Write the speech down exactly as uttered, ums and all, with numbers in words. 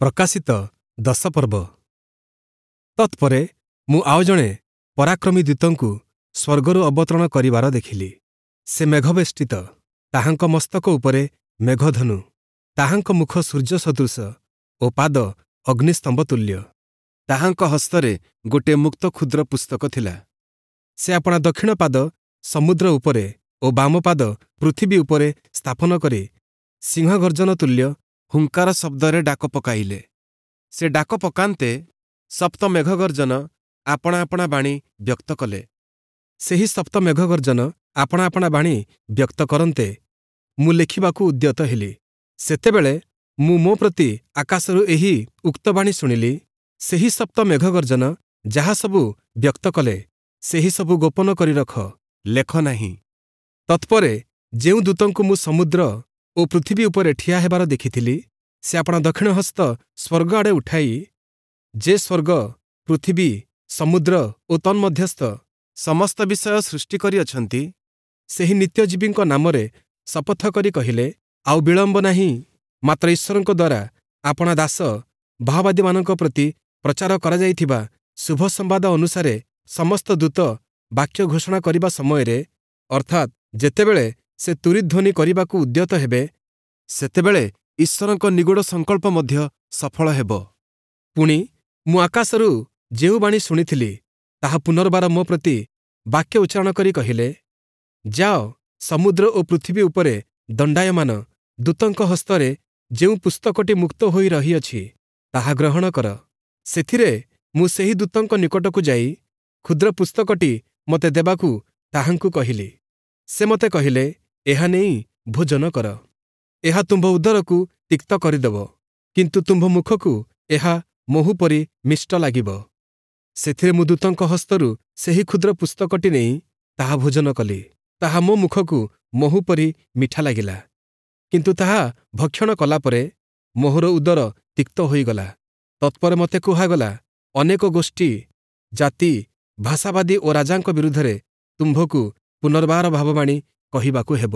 ପ୍ରକାଶିତ ଦଶ ପର୍ବ। ତତ୍ପରେ ମୁଁ ଆଉ ଜଣେ ପରାକ୍ରମୀ ଦୂତଙ୍କୁ ସ୍ୱର୍ଗରୁ ଅବତରଣ କରିବାର ଦେଖିଲି। ସେ ମେଘବେଷ୍ଟିତ, ତାହାଙ୍କ ମସ୍ତକ ଉପରେ ମେଘଧନୁ, ତାହାଙ୍କ ମୁଖ ସୂର୍ଯ୍ୟ ସଦୃଶ ଓ ପାଦ ଅଗ୍ନିସ୍ତମ୍ଭ ତୁଲ୍ୟ। ତାହାଙ୍କ ହସ୍ତରେ ଗୋଟିଏ ମୁକ୍ତ କ୍ଷୁଦ୍ର ପୁସ୍ତକ ଥିଲା। ସେ ଆପଣା ଦକ୍ଷିଣ ପାଦ ସମୁଦ୍ର ଉପରେ ଓ ବାମ ପାଦ ପୃଥିବୀ ଉପରେ ସ୍ଥାପନ କରି ସିଂହ ଗର୍ଜନ ତୁଲ୍ୟ ହୁଙ୍କାର ଶବ୍ଦରେ ଡାକ ପକାଇଲେ। ସେ ଡାକ ପକାନ୍ତେ ସପ୍ତ ମେଘଗର୍ଜନ ଆପଣା ଆପଣା ବାଣୀ ବ୍ୟକ୍ତ କଲେ। ସେହି ସପ୍ତ ମେଘଗର୍ଜନ ଆପଣା ଆପଣା ବାଣୀ ବ୍ୟକ୍ତ କରନ୍ତେ ମୁଁ ଲେଖିବାକୁ ଉଦ୍ୟତ ହେଲି। ସେତେବେଳେ ମୁଁ ମୋ ପ୍ରତି ଆକାଶରୁ ଏହି ଉକ୍ତ ବାଣୀ ଶୁଣିଲି, ସେହି ସପ୍ତ ମେଘଗର୍ଜନ ଯାହା ସବୁ ବ୍ୟକ୍ତ କଲେ, ସେହି ସବୁ ଗୋପନ କରି ରଖ, ଲେଖ ନାହିଁ। ତତ୍ପରେ ଯେଉଁ ଦୂତଙ୍କୁ ମୁଁ ସମୁଦ୍ର ଓ ପୃଥିବୀ ଉପରେ ଠିଆ ହେବାର ଦେଖିଥିଲି, ସେ ଆପଣା ଦକ୍ଷିଣ ହସ୍ତ ସ୍ୱର୍ଗ ଆଡ଼େ ଉଠାଇ, ଯେ ସ୍ୱର୍ଗ, ପୃଥିବୀ, ସମୁଦ୍ର ଓ ତନ୍ମଧ୍ୟସ୍ଥ ସମସ୍ତ ବିଷୟ ସୃଷ୍ଟି କରିଅଛନ୍ତି, ସେହି ନିତ୍ୟଜୀବୀଙ୍କ ନାମରେ ଶପଥ କରି କହିଲେ, ଆଉ ବିଳମ୍ବ ନାହିଁ, ମାତ୍ର ଈଶ୍ୱରଙ୍କ ଦ୍ୱାରା ଆପଣା ଦାସ ଭାବବାଦୀମାନଙ୍କ ପ୍ରତି ପ୍ରଚାର କରାଯାଇଥିବା ଶୁଭ ସମ୍ବାଦ ଅନୁସାରେ ସମସ୍ତ ଦୂତ ବାକ୍ୟ ଘୋଷଣା କରିବା ସମୟରେ, ଅର୍ଥାତ୍ ଯେତେବେଳେ ସେ ତୂରୀଧ୍ୱନି କରିବାକୁ ଉଦ୍ୟତ ହେବେ, ସେତେବେଳେ ଈଶ୍ୱରଙ୍କ ନିଗୂଢ଼ ସଂକଳ୍ପ ମଧ୍ୟ ସଫଳ ହେବ। ପୁଣି ମୁଁ ଆକାଶରୁ ଯେଉଁ ବାଣୀ ଶୁଣିଥିଲି, ତାହା ପୁନର୍ବାର ମୋ ପ୍ରତି ବାକ୍ୟ ଉଚ୍ଚାରଣ କରି କହିଲେ, ଯାଅ, ସମୁଦ୍ର ଓ ପୃଥିବୀ ଉପରେ ଦଣ୍ଡାୟମାନ ଦୂତଙ୍କ ହସ୍ତରେ ଯେଉଁ ପୁସ୍ତକଟି ମୁକ୍ତ ହୋଇ ରହିଅଛି, ତାହା ଗ୍ରହଣ କର। ସେଥିରେ ମୁଁ ସେହି ଦୂତଙ୍କ ନିକଟକୁ ଯାଇ କ୍ଷୁଦ୍ର ପୁସ୍ତକଟି ମୋତେ ଦେବାକୁ ତାହାଙ୍କୁ କହିଲି। ସେ ମୋତେ କହିଲେ, ଏହା ନେଇ ଭୋଜନ କର। ଏହା ତୁମ୍ଭ ଉଦରକୁ ତିକ୍ତ କରିଦେବ, କିନ୍ତୁ ତୁମ୍ଭ ମୁଖକୁ ଏହା ମହୁ ପରି ମିଷ୍ଟ ଲାଗିବ। ସେଥିରେ ମୁଁ ଦୂତଙ୍କ ହସ୍ତରୁ ସେହି କ୍ଷୁଦ୍ର ପୁସ୍ତକଟି ନେଇ ତାହା ଭୋଜନ କଲି। ତାହା ମୋ ମୁଖକୁ ମହୁ ପରି ମିଠା ଲାଗିଲା, କିନ୍ତୁ ତାହା ଭକ୍ଷଣ କଲାପରେ ମୋହର ଉଦର ତିକ୍ତ ହୋଇଗଲା। ତତ୍ପରେ ମୋତେ କୁହାଗଲା, ଅନେକ ଗୋଷ୍ଠୀ, ଜାତି, ଭାଷାବାଦୀ ଓ ରାଜାଙ୍କ ବିରୁଦ୍ଧରେ ତୁମ୍ଭକୁ ପୁନର୍ବାର ଭାବବାଣୀ କହିବାକୁ ହେବ।